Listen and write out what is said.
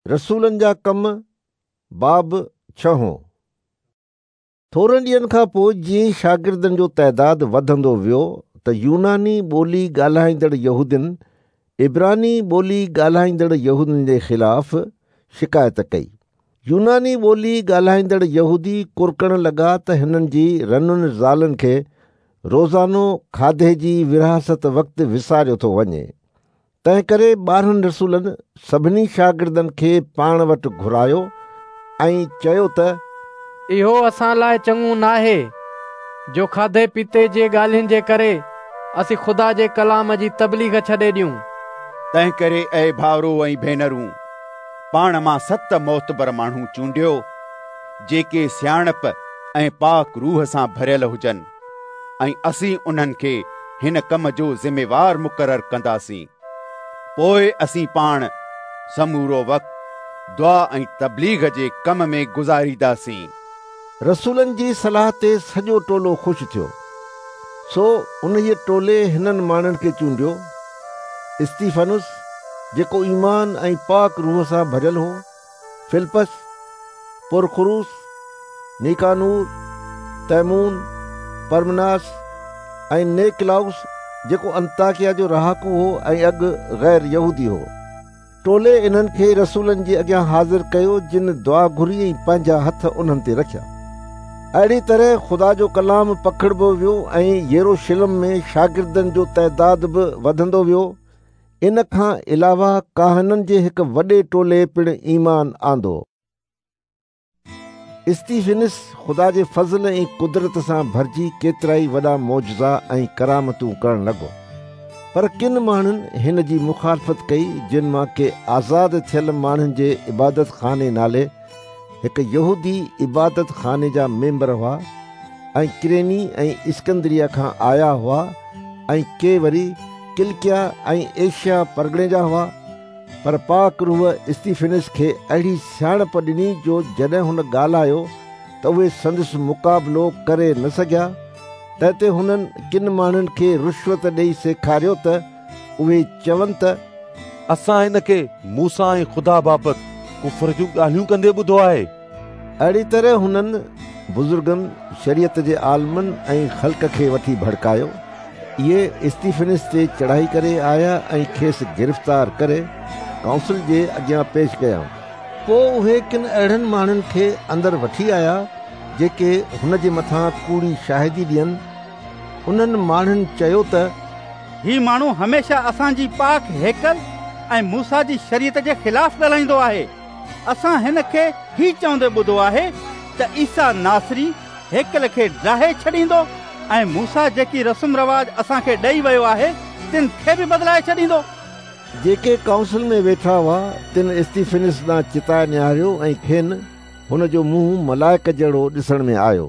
رسولن جا ڪم، باب ڇهون. ٿورن ڏينهن کان پوء جيئن ئي شاگردن جو تعداد وڌندو ويو ته يوناني ٻولي ڳالهائيندڙ يهودين عبراني ٻولي ڳالهائيندڙ يهودين جي خلاف شڪايت ڪئي. يوناني ٻولي ڳالهائيندڙ يهودي ڪرڪڻ لڳا ته هنن جي رنن زالن کي روزانو کاڌي جي ورهاست وقت وساريو ٿو وڃي. تنهنڪري 12 رسولن سڀني شاگردن کي پاڻ وٽ گهرايو ۽ چيو ته. اهو اسان لاء چڱو ناهي جو کاڌي پيتي جي ڳالهين جي ڪري اسين خدا جي ڪلام جي تبليغ ڇڏي ڏيون. تنهنڪري اي ڀائرو ۽ ڀينرون، پاڻ مان ست معتبر ماڻهو چونڊيو، جيڪي سياڻپ ۽ پاڪ روح سان ڀريل هجن. ۽ اسين انهن کي هن ڪم جو ذميوار مقرر ڪنداسين. پوء اسين پاڻ سمورو وقت دعا ۽ تبليغ جي ڪم ۾ گذارينداسين. رسولن جي صلاح تي سڄو ٽولو خوش ٿيو. سو انهيء ٽولي هنن ماڻهن کي چونڊيو، استيفنس، جيڪو ايمان ۽ پاڪ روح سان ڀريل هو، فلپس، پرخروس، نيڪانور، تيمون، پرمناس ۽ نيڪلاؤس جيڪو انطاڪيه جو رهاڪو هو ۽ اڳ غير يهودي هو. ٽولي انهن کي رسولن جي اڳيان حاضر ڪيو جن دعا گهري ۽ پنهنجا هٿ انهن تي رکيا. اهڙي طرح خدا جو ڪلام پکڙبو ويو ۽ يروشلم ۾ شاگردن جو تعداد به وڌندو ويو. ان کان علاوه ڪاهنن جي هڪ وڏي ٽولي پڻ ايمان آندو. استيفنس خدا جي فضل ۽ قدرت سان ڀرجي ڪيترائي وڏا معجزا ۽ ڪرامتون ڪرڻ لڳو. پر ڪن ماڻهن هن جي مخالفت ڪئي، جن مان ڪي آزاد ٿيل ماڻهن جي عبادتخاني نالي هڪ يهودي عبادت خاني جا ميمبر هئا ۽ ڪريني ۽ اسڪندريه کان آيا هئا ۽ ڪي وري ڪلڪيا ۽ ايشيا پرڳڻي جا هئا. پر پاڪ روح استيفنس کي اهڙي سياڻپ ڏني جو جڏهن هن ڳالهايو ته اهي سندس مقابلو ڪري نه سگهيا. تنهن تي هنن ڪن ماڻهن کي رشوت ڏيئي سيکاريو ته اهي چون ته. اسان هن کي موسيٰ ۽ خدا بابت ڪفر جون ڳالهيون ڪندي ٻڌو آهي. اهڙيء طرح هنن بزرگن، شريعت جي عالمن ۽ خلق کي وٺي ڀڙڪايو. اهي استيفنس تي چڙهائي ڪري آيا ۽ کيس گرفتار ڪري ڪائونسل جي اڳيان پيش ڪيائون. پوء اهي ڪن اهڙن ماڻهن کي اندر وٺي آيا، جيڪي هن جي مٿان ڪوڙي شاهدي ڏين. انهن ماڻهن چيو ته. هي ماڻهو هميشه اسان جي پاڪ هيڪل ۽ موسيٰ جي شريعت جي خلاف ڳالهائيندو آهي. اسان هن کي هي چوندي ٻڌو آهي ته عيسيٰ ناصري هيڪل کي ڊاهي ڇڏيندو ۽ موسيٰ جيڪي رسم رواج اسان کي ڏئي ويو آهي، تن کي به بدلائي ڇڏيندو. جيڪي ڪائونسل ۾ ويٺا هئا، تن استيفنس ڏانهن چتائي نهاريو ۽ کين هن جو منهن ملائڪ جهڙو ڏسڻ ۾ آيو.